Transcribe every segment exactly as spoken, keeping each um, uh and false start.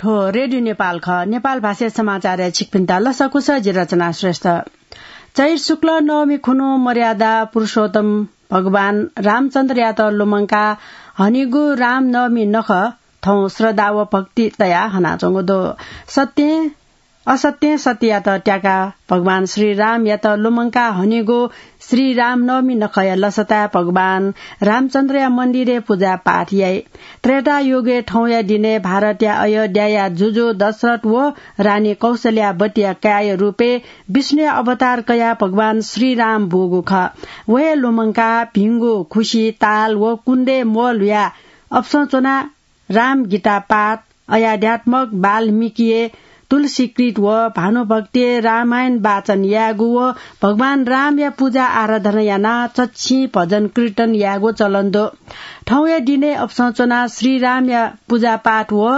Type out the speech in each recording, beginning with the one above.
थ्व रेडियो नेपाल खः। नेपाल भाषा समाचारय् छिकपिन्त लसकुस, जि रचना श्रेष्ठ। चैत शुक्ल नवमी खुन्हु मर्यादा पुरुषोत्तम भगवान रामचन्द्रयात लुमंका हनीगु रामनवमी नखः थौं श्रद्धा व भक्ति तया हनाच्वंगु दु। सत्यं असत्यं सत्ययात त्याका भगवान श्री रामयात लुमंका हनीगु श्री रामनवमी नखःया लसताय् भगवान रामचन्द्रया मन्दिरय् पूजापाठ याइ। त्रेता युगय् थौंया दिनय् भारतया अयोध्याया जुजु दशरथ व रानी कौशल्यावतीया काय्‌या रूपय् विष्णुया अवतार कयाः भगवान श्री राम बूगु खः। व हे लुमंकाः भिंगु खुसि ताल व कुण्डय् म्वःल्हुयाः अपसं च्वनाः राम गीता पाठ, अयाध्यात्मक वाल्मीकिया तुलसीकृत व भानुभक्तिया रामायण वाचन यायेगु व भगवान रामया पूजा आराधना यानाः चच्छि भजन कीर्तन यायेगु चलन दु। थौंया दिनय् अपसं च्वनाः श्री रामया पूजापाठ व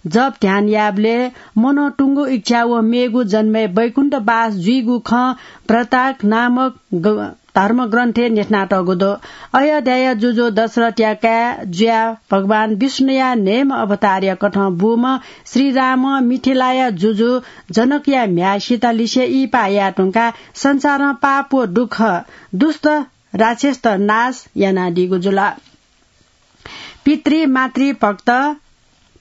जप ध्यान यायेबलय् मनंतुंगु इच्छा व मेगु जन्मय् वैकुण्ठवास जुइगु खँ व्रताक नामक ग-, धर्मग्रन्थय् न्ह्यथनातःगु दु। अयोध्याया जुजु दशरथया काय् जुयाः भगवान विष्णुया न्हय्म्ह अवतारया कथं बूम्ह श्री रामं मिथिलाया जुजु जनकया म्ह्याय् सीतालिसे इहिपाः याये धुंकाः संसारं पाप व दुःख, दुष्ट राक्षसत नाश यानादीगु जुल। पितृ मातृ भक्त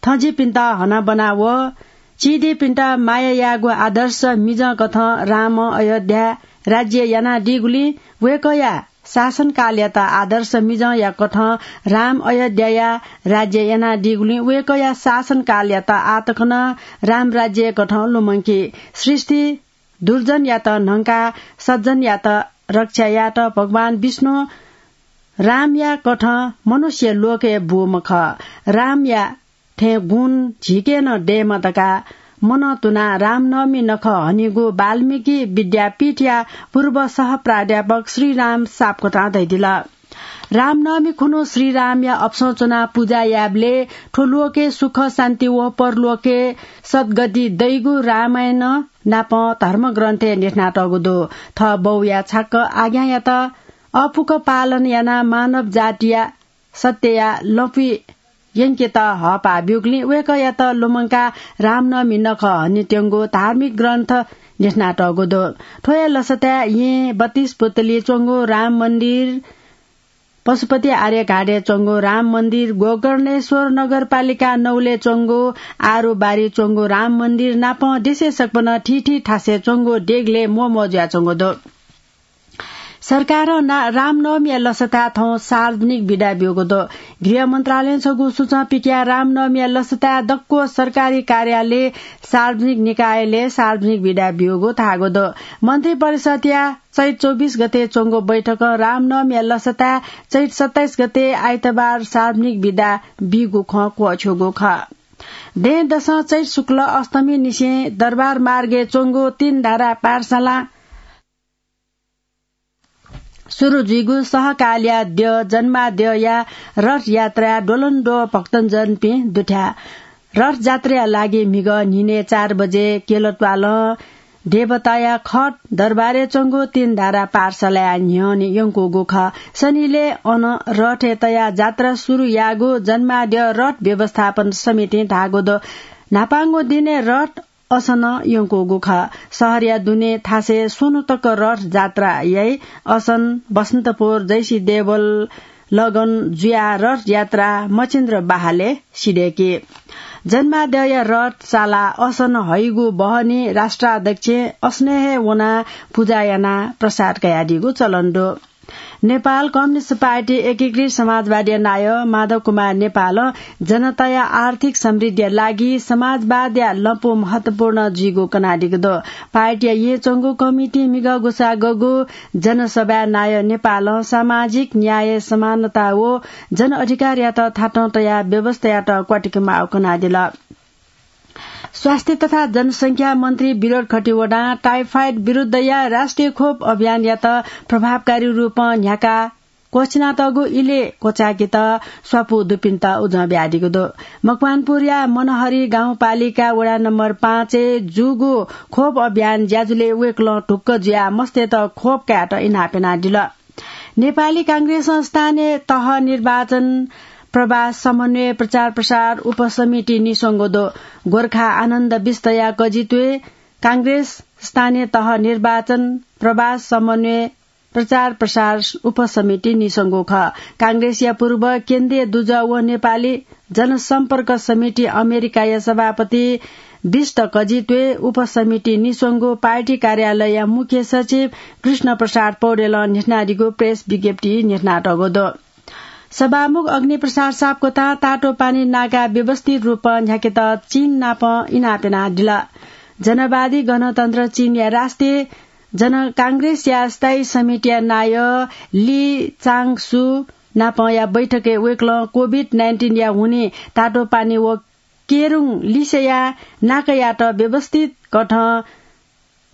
थँजिपिन्त हनाबना व चिधीपिन्त माया यायेगु आदर्श मिजं कथं रामं अयोध्या राज्य यानादीगुलिं वय्‌कःया शासनकालयात आदर्श मिजंया कथं राम अयोध्याया राज्य यानादीगुलिं वय्‌कःया शासनकालयात आः तक नं राम राज्य कथं लुमंकी। सृष्टि दुर्जनयात न्हंकाः सज्जनयात रक्षा यायेत भगवान विष्णु रामया कथं मनुष्य लोकय् बूम्ह खः। रामया थें गुण झीके नं दयेमा धकाः मनंतुनाः रामनवमी नखः हनीगु वाल्मीकि विद्यापीठया पूर्व सहप्राध्यापक श्रीराम सापकोटां धयादिल। रामनवमी खुन्हु श्रीरामया अपसं च्वनाः पुजा यायेबलय् थ्व लोकय् सुख शान्ति व परलोकय् सद्गति दइगु रामायण नापं धर्मग्रन्थय् न्ह्यथनातःगु दु। थः बौया छाक्क आज्ञायात अःपुक पालन यानाः मानव जातिया सत्यया लँपुइ यंकेत हःपाः ब्यूगुलिं वय्‌कःयात लुमंकाः रामनवमी नखः हनेत्यंगु धार्मिक ग्रन्थ न्ह्यथनातःगु दु। थ्व हे लसताय् येँ बत्तीस पुतली च्वंगु राम मन्दिर, पशुपति आर्यघाटय् च्वंगु राम मन्दिर, गोकर्णेश्वर नगरपालिका नौलय् च्वंगु आरुबारी च्वंगु राम मन्दिर नापं देशय् सकभनं थीथी थासय् च्वंगु देगलय् म्वःम्वः जुयाच्वंगु दु। सरकारं ना-, रामनवमीया लसताय् थौं सार्वजनिक बिदा ब्यूगु दु। गृह मन्त्रालयं छगू सूचं पिकयाः रामनवमीया लसताय् दक्व सरकारी कार्यालय, सार्वजनिक निकायलय् सार्वजनिक बिदा ब्यूगु धाःगु दु। मन्त्रिपरिषदया चैत चौबिस गते च्वंगु बैठकं रामनवमीया लसताय् चैत सत्ताइस गते आइतबार सार्वजनिक बिदा बीगु खँ क्वःछ्यूगु खः। दँय्‌दसं चैत शुक्ल अष्टमी निसें दरबार मार्गय् च्वंगु तीन धारा पाठशाला सुरु जुइगु सहकालया द्यः जन्माद्यःया रथ यात्राय् द्वलंद्वः भक्तजनपिं दुथ्याः। रथ जात्राया लागि म्हिगः न्हिनय् चार बजे केलत्वालं देवताया खट दरबारय् च्वंगु तीन धारा पाठशालाया न्ह्यःने यंकूगु खः। सनिलय् अन रथय् तयाः जात्रा सुरु याःगु जन्माद्यः रथ व्यवस्थापन समितिं धाःगु दु। न्हापांगु दिनय् रथ असन यंकूगु खः। शहरया दुने थासय् स्वन्हु तक रथ जात्रा याइ। असन, बसन्तपुर, जैसी देवल, लगन जुयाः रथ यात्रा मचिन्द्र बहालय् सिधय्‌की। जन्माद्यःया रथ साला असन हइगु बहनी राष्ट्राध्यक्षं असनय् हे वनाः पुजा यानाः प्रसाद कयादीगु चलन दु। नेपाल कम्युनिस्ट पार्टी एकीकृत समाजवादीया नायः माधव कुमार नेपालं जनताया आर्थिक समृद्धिया लागि समाजवादया लँपु महत्वपूर्ण जुइगु कनादीगु दु। पार्टीया येँच्वंगु कमिटिं म्हिगः ग्वसाः गःगु जनसभाय् नायः नेपालं सामाजिक न्याय, समानता व जनअधिकारयात थातं तयाः व्यवस्थायात क्वातिके माःगु कनादिल। स्वास्थ्य तथा जनसंख्या मन्त्री विनोद खतिवडां टाइफाइड विरुद्धया राष्ट्रिय खोप अभियानयात प्रभावकारी रूपं न्ह्याकाः क्वःछिनातःगु इलय् क्वचायेकेत स्वापू दुपिन्त उजं बियादीगु दु। मकवानपुरया मनहरी गाउँपालिका वडा नम्बर पाँचय् जूगु खोप अभियान ज्याझ्वलय् वय्‌कलं ढुक्क जुयाः मस्तय्‌त खोप कायेत इनाप यानादिल। नेपाली कांग्रेसं स्थानीय तह निर्वाचन प्रवास समन्वय प्रचार प्रसार उपसमिति निस्वंगु दु। गोर्खा आनन्द विष्टया कजित्वय् कांग्रेस स्थानीय तह निर्वाचन प्रवास समन्वय प्रचार प्रसार उपसमिति निस्वंगु खः। कांग्रेसया पूर्व केन्द्रीय दुजः व नेपाली जनसम्पर्क समिति अमेरिकाया सभापति विष्ट कजित्वय् उपसमिति निस्वंगु पार्टी कार्यालयया मुख्य सचिव कृष्ण प्रसाद पौडेलं न्ह्यथनादीगु प्रेस विज्ञप्ति न्ह्यथनातःगु दु। सभामुख अग्निप्रसाद सापकोटां तातोपानी नाका व्यवस्थित रूपं न्ह्याकेत चीन नाप इनाप यानादिल। जनवादी गणतन्त्र चीनया राष्ट्रिय जन कांग्रेसया स्थायी समितिया नायः ली चाङसु नापया बैठकय् वय्कलं कोभिड नाइन्टिनया हुनिं तातोपानी व केरुङ लिसेया नाकायात व्यवस्थित कथं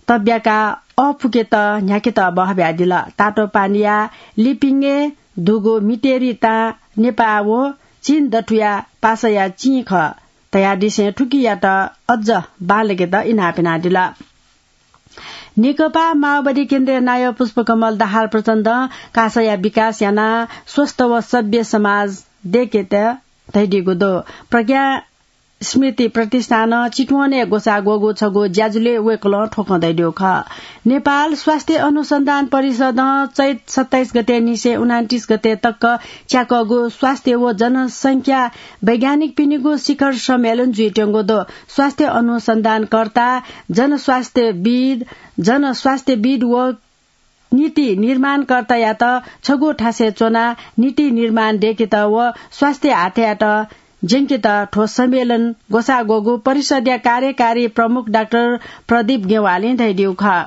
तब्याकाः अःपुकेत न्ह्याकेत बहः बियादिल। तातोपानीया लिपिङय् दुगु मितेरी तां नेपाः व चीन दथुया पासाया चिं खः धयादिसें थुकियात अझ बांलाकेत इनाप यानादिल। नेकपा माओवादी केन्द्रीय नायः पुष्पकमल दाहाल प्रचण्डं कासाया विकास यानाः स्वस्थ व सभ्य समाज दयेकेत धयादीगु दु। प्रज्ञा स्मृति प्रतिष्ठानं चितवनय् ग्वसाः ग्वःगु छगू ज्याझ्वलय् वय्कलं थ्व खँ धयादीगु खः। नेपाल स्वास्थ्य अनुसन्धान परिषदं चैत सत्ताइस गते निसें उनान्तिस गते तक च्याकःगु स्वास्थ्य व जनसंख्या वैज्ञानिकपिनिगु शिखर सम्मेलन जुइत्यंगु दु। स्वास्थ्य अनुसन्धानकर्ता, जनस्वास्थ्यविद, जनस्वास्थ्यविद व नीति निर्माणकर्तायात छगू थासय् च्वनाः नीति निर्माण दयेकेत व स्वास्थ्य हातयात ज्यंकेत थ्व सम्मेलन ग्वसाः ग्वःगु परिषदया कार्यकारी प्रमुख डाक्टर प्रदीप गेवालीं धयादीगु खः।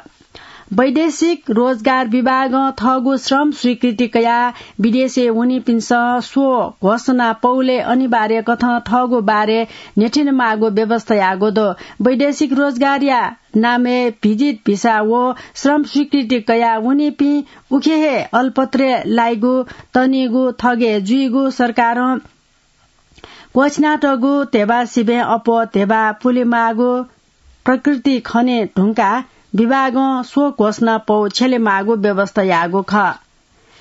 वैदेशिक रोजगार विभागं थःगु श्रम स्वीकृति कयाः विदेशय् वनीपिन्सं स्व घोषणा पौलय् अनिवार्य कथं थःगु बारे न्ह्यथनेमाःगु व्यवस्था याःगु दु। वैदेशिक रोजगारया नामय् भिजिट भिसा व श्रम स्वीकृति कयाः वनीपिं उखे हे अलपत्रय् लाइगु तनीगु थगय् जुइगु सरकारं क्वःछिनातःगु ध्यबा सिबें अप्वः ध्यबा पुलेमाःगु प्रकृति खने धुंकाः विभागं स्व घोषणा पौ छ्यलेमाःगु व्यवस्था याःगु खः।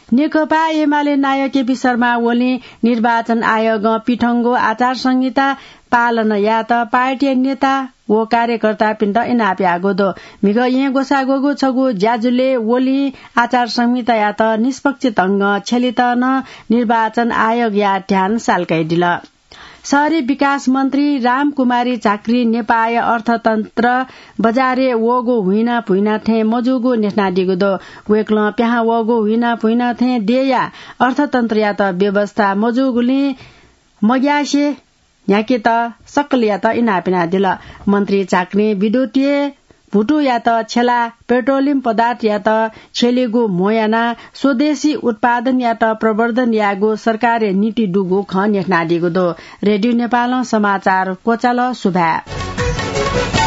नेकपा एमाले नायः केपी शर्मा ओलीं निर्वाचन आयोगं पिथंगु आचार संहिता पालन यायेत पार्टीया नेता व कार्यकर्तापिन्त इनाप याःगु दु। म्हिगः येँ ग्वसाः ग्वःगु छगू ज्याझ्वलय् ओलीं आचार संहितायात निष्पक्ष ढंगं छ्यलेत नं निर्वाचन आयोगया ध्यान साल्कादिल। शहरी विकास मन्त्री रामकुमारी झाँक्रीं नेपाःया अर्थतन्त्र बजारय् वःगु हुइना भुइना थें मजूगु न्ह्यथनादीगु दु। वय्कलं पिहां वःगु हुइना भुइना थें देय्‌या अर्थतन्त्रयात व्यवस्था मजूगुलिं मग्यासे न्ह्याकेत सकलयात इनाप यानादिल। मन्त्री झाँक्रीं विद्युतीय भुतुयात छ्यलाः पेट्रोलियम पदार्थयात छ्यलेगु म्हो यानाः स्वदेशी उत्पादनयात प्रवर्धन यायेगु सरकारया नीति दुगु खँ न्ह्यथनादीगु दु। रेडियो नेपालं समाचार क्वचाल। सुभाय्।